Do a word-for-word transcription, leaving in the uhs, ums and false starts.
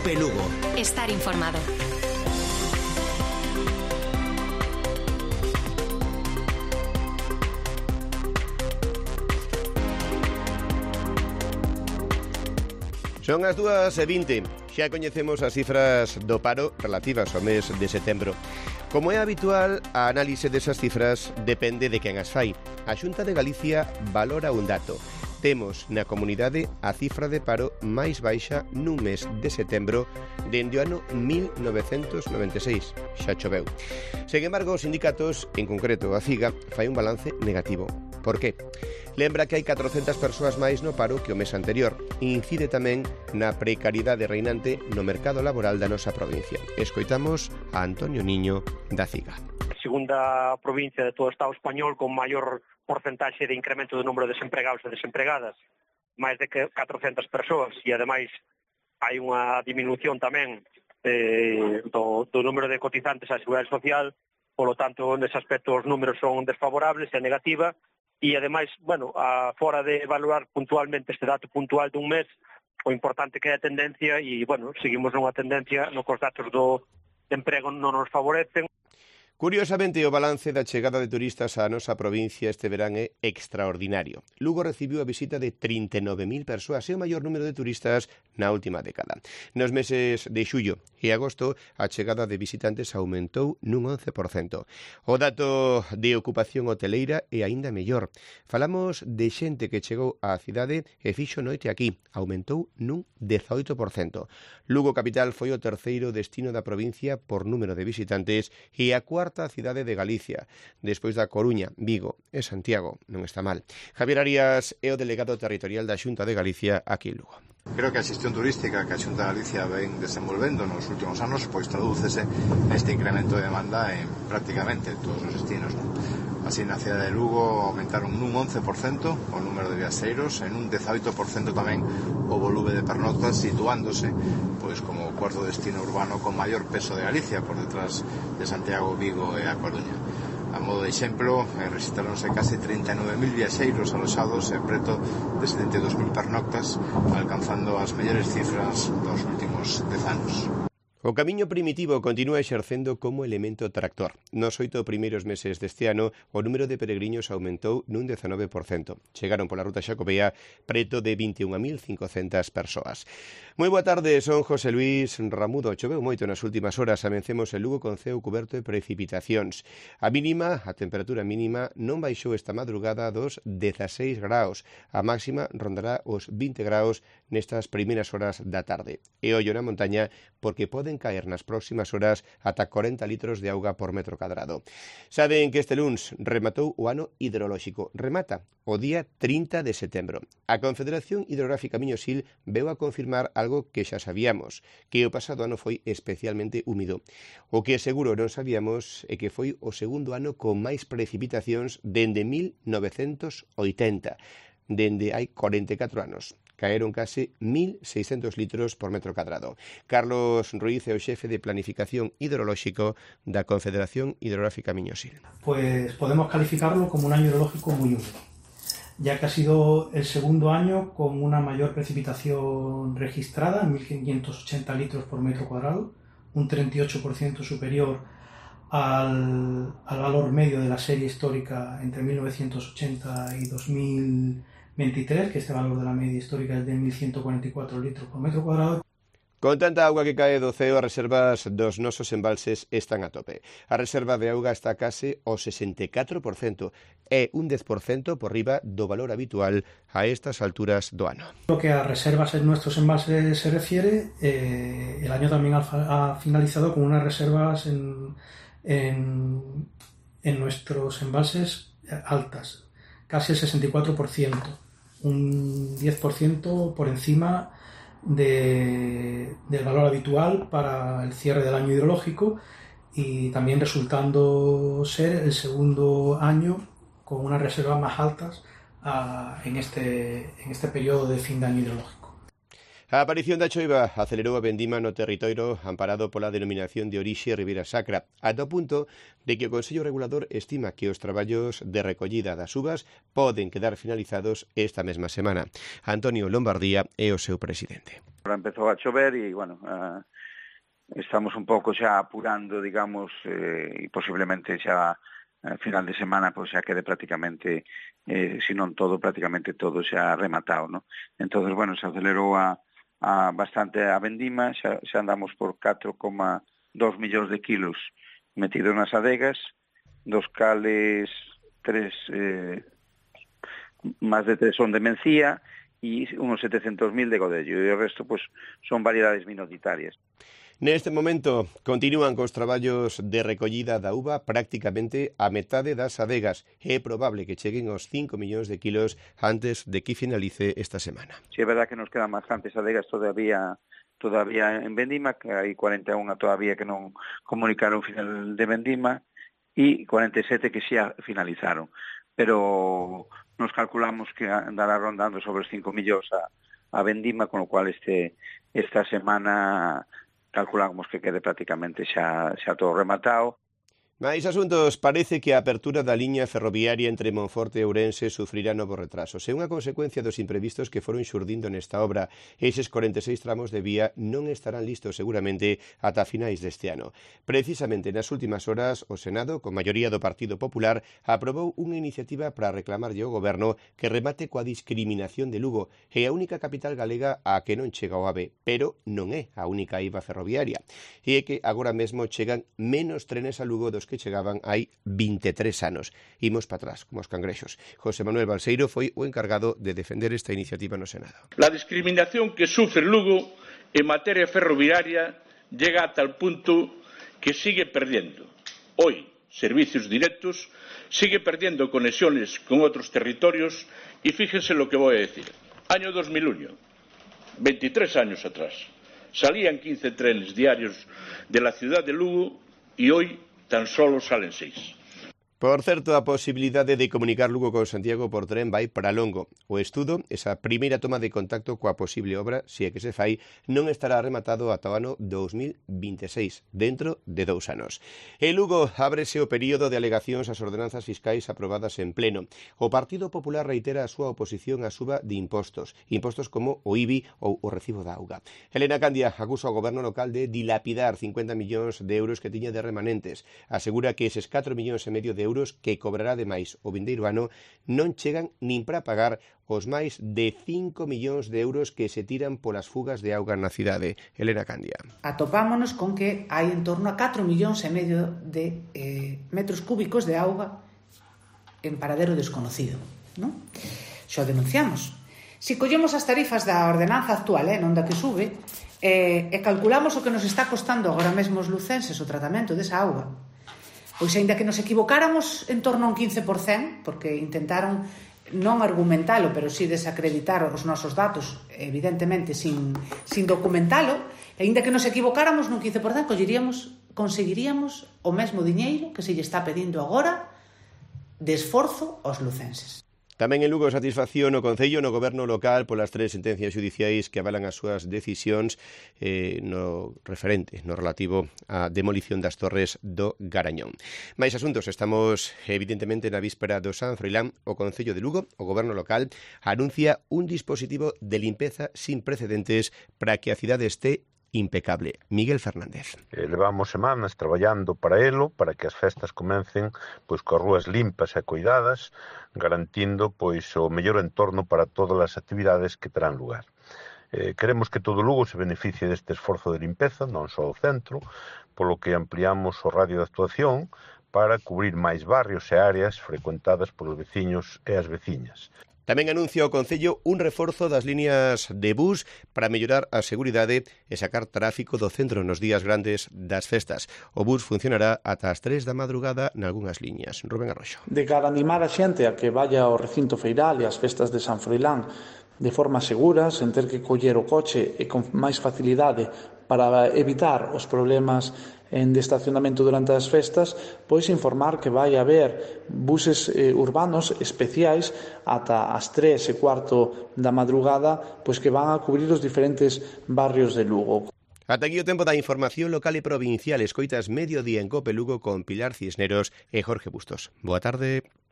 Cope Lugo. Estar informado. Son as dúas e vinte. Xa coñecemos as cifras do paro relativas ao mes de setembro. Como é habitual, a análise desas cifras depende de quen as fai. A Xunta de Galicia valora un dato. Temos na comunidade a cifra de paro máis baixa nun mes de setembro dende o ano mil novecentos noventa e seis. Xa choveu. Sen embargo, os sindicatos, en concreto a CIGA, fai un balance negativo. Por qué? Lembra que hai catrocentas persoas máis no paro que o mes anterior. Incide tamén na precariedade reinante no mercado laboral da nosa provincia. Escoitamos a Antonio Niño da CIGA. A segunda provincia de todo o Estado español con maior porcentaxe de incremento do número de desempregados e desempregadas, máis de catrocentas persoas, e ademais hai unha disminución tamén eh, do, do número de cotizantes á Seguridade Social, polo tanto, nese aspecto os números son desfavorables e negativa. E, ademais, bueno, a fora de evaluar puntualmente este dato puntual dun mes, o importante que é a tendencia, e, bueno, seguimos nunha tendencia no que os datos do emprego non nos favorecen. Curiosamente, o balance da chegada de turistas á nosa provincia este verán é extraordinario. Lugo recibiu a visita de trinta e nove mil persoas, é o maior número de turistas na última década. Nos meses de xullo e agosto, a chegada de visitantes aumentou nun once por cento. O dato de ocupación hoteleira é aínda mellor. Falamos de xente que chegou á cidade e fixo noite aquí, aumentou nun dezaoito por cento. Lugo capital foi o terceiro destino da provincia por número de visitantes e a cuarta a cidade de Galicia, despois da Coruña, Vigo e Santiago. Non está mal. Javier Arias é o delegado territorial da Xunta de Galicia aquí en Lugo. Creo que a xestión turística que a Xunta de Galicia ven desenvolvendo nos últimos anos pois tradúcese neste incremento de demanda en prácticamente todos os destinos, non? Así, na cidade de Lugo aumentaron nun once por cento o número de viaxeiros, en un dezaoito por cento tamén o volume de pernoctas, situándose pois como o cuarto destino urbano con maior peso de Galicia, por detrás de Santiago, Vigo e a Coruña. A modo de exemplo, eh, rexistráronse case trinta e nove mil viaxeiros aloxados e preto de setenta e dous mil pernoctas, alcanzando as mellores cifras dos últimos dez anos. O camiño primitivo continúa exercendo como elemento tractor. Nos oito primeiros meses deste ano, o número de peregriños aumentou nun dezanove por cento. Chegaron pola ruta xacobea preto de vinte e unha mil cincocentas persoas. Moi boa tarde, son José Luis Ramudo. Choveu moito nas últimas horas, amencemos en Lugo con ceo cuberto de precipitacións. A mínima, a temperatura mínima, non baixou esta madrugada dos dezaseis graus. A máxima rondará os vinte graus nestas primeiras horas da tarde. E ollo na montaña, porque poden caer nas próximas horas ata corenta litros de auga por metro cadrado. Saben que este luns rematou o ano hidrolóxico. Remata o día trinta de setembro. A Confederación Hidrográfica Miño-Sil veu a confirmar algo que xa sabíamos, que o pasado ano foi especialmente húmido. O que seguro non sabíamos é que foi o segundo ano con máis precipitacións dende mil novecentos oitenta, dende hai corenta e catro anos. Caeron case mil seiscentos litros por metro cadrado. Carlos Ruiz é o xefe de Planificación Hidrolóxico da Confederación Hidrográfica Miño-Sil. Pues podemos calificarlo como un año hidrológico muy húmedo, ya que ha sido el segundo año con una mayor precipitación registrada, mil quinientos ochenta litros por metro cuadrado, un treinta y ocho por ciento superior al, al valor medio de la serie histórica entre mil novecientos ochenta y dos mil veintitrés, que este valor de la media histórica es de mil ciento cuarenta y cuatro litros por metro cuadrado. Con tanta auga que cae do ceo, as reservas dos nosos embalses están a tope. A reserva de auga está case ao sesenta e catro por cento, é un dez por cento por riba do valor habitual a estas alturas do ano. Lo que a reservas en nuestros embalses se refiere, eh, el año también ha, ha finalizado con unas reservas en, en, en nuestros embalses altas, casi el sesenta y cuatro por ciento, un diez por ciento por encima de, del valor habitual para el cierre del año hidrológico, y también resultando ser el segundo año con unas reservas más altas uh, en, este, en este periodo de fin de año hidrológico. A aparición da choiva acelerou a vendima no territorio amparado pola denominación de orixe Ribeira Sacra, ata o punto de que o Consello Regulador estima que os traballos de recollida das uvas poden quedar finalizados esta mesma semana. Antonio Lombardía é o seu presidente. Ahora empezou a chover e, bueno, uh, estamos un pouco xa apurando, digamos, eh, e posiblemente xa a final de semana pois xa quede prácticamente, eh, se non todo, prácticamente todo xa rematado, ¿no? Entonces, bueno, se acelerou a, a bastante a vendima, xa, xa andamos por catro coma dos millóns de kilos metidos nas adegas, dos cales tres, eh, máis de tres son de mencía e unos setecentos mil de godello, e o resto pois son variedades minoritarias. Neste momento continúan cos traballos de recollida da uva prácticamente a metade das adegas. É probable que cheguen aos cinco millóns de kilos antes de que finalice esta semana. Si é verdad que nos quedan bastantes adegas todavía todavía en vendima, que hai cuarenta e un todavía que non comunicaron final de vendima e cuarenta e sete que xa finalizaron. Pero nos calculamos que andará rondando sobre os cinco millóns a, a vendima, con o cual este esta semana calculamos que quede prácticamente xa, xa todo rematado. Mais asuntos, parece que a apertura da liña ferroviaria entre Monforte e Ourense sufrirá novos retrasos. É unha consecuencia dos imprevistos que foron xurdindo nesta obra. Eses corenta e seis tramos de vía non estarán listos seguramente ata finais deste ano. Precisamente nas últimas horas, o Senado, con maioría do Partido Popular, aprobou unha iniciativa para reclamarlle ao Goberno que remate coa discriminación de Lugo. É a única capital galega a que non chega o AVE, pero non é a única eiva ferroviaria. E é que agora mesmo chegan menos trenes a Lugo dos que chegaban hai vinte e tres anos. Imos para atrás, como os cangrexos. José Manuel Balseiro foi o encargado de defender esta iniciativa no Senado. La discriminación que sufre Lugo en materia ferroviaria llega a tal punto que sigue perdiendo hoy servicios directos, sigue perdiendo conexiones con otros territorios y fíjense lo que voy a decir. Año dos mil uno, veintitrés años atrás, salían quince trenes diarios de la ciudad de Lugo y hoy tan solo salen seis. Por certo, a posibilidade de comunicar Lugo con Santiago por tren vai para longo. O estudo, esa primeira toma de contacto coa posible obra, se é que se fai, non estará rematado ata o ano dos mil vinte e seis, dentro de dous anos. En Lugo ábrese o período de alegacións ás ordenanzas fiscais aprobadas en pleno. O Partido Popular reitera a súa oposición á suba de impostos, impostos como o I B I ou o recibo da auga. Elena Candia acusa ao goberno local de dilapidar cincuenta millóns de euros que tiña de remanentes. Asegura que eses catro millóns e medio de euros que cobrará ademais o vindeiro ano non chegan nin para pagar os máis de cinco millóns de euros que se tiran polas fugas de auga na cidade. Elena Candia. Atopámonos con que hai en torno a catro millóns e medio de eh, metros cúbicos de auga en paradero desconocido, non? Xo denunciamos. Se collemos as tarifas da ordenanza actual, eh, non da que sube, eh, e calculamos o que nos está costando agora mesmo os lucenses o tratamento desa auga, pois aínda que nos equivocáramos en torno a un quince por cento, porque intentaron non argumentalo, pero sí desacreditar os nosos datos, evidentemente sin, sin documentalo, e aínda que nos equivocáramos nun quince por cento, colleríamos, conseguiríamos o mesmo diñeiro que se lle está pedindo agora de esforzo aos lucenses. Tamén en Lugo satisfacción o Concello no goberno local polas tres sentencias judiciais que avalan as súas decisións eh, no referente, no relativo á demolición das torres do Garañón. Mais asuntos, estamos evidentemente na víspera do San Froilán. O Concello de Lugo, o goberno local, anuncia un dispositivo de limpeza sin precedentes para que a cidade este impecable. Miguel Fernández. Eh, levamos semanas traballando para elo, para que as festas comecen pois coas rúas limpas e cuidadas, garantindo pois o mellor entorno para todas as actividades que terán lugar. Eh, queremos que todo Lugo se beneficie deste esforzo de limpeza, non só o centro, polo que ampliamos o radio de actuación para cubrir máis barrios e áreas frecuentadas polos veciños e as veciñas. Tamén anuncia o Concello un reforzo das líneas de bus para mellorar a seguridade e sacar tráfico do centro nos días grandes das festas. O bus funcionará ata as tres da madrugada nalgunhas liñas. Rubén Arroxo. De cara a animar a xente a que vaya ao recinto feiral e ás festas de San Froilán de forma segura, sen ter que coller o coche e con máis facilidade para evitar os problemas en de estacionamento durante as festas, pois informar que vai haber buses eh, urbanos especiais ata as tres e cuarto da madrugada, pois que van a cubrir os diferentes barrios de Lugo. Ata aquí o tempo da información local e provincial. Escoitas Mediodía en Cope Lugo con Pilar Cisneros e Jorge Bustos. Boa tarde.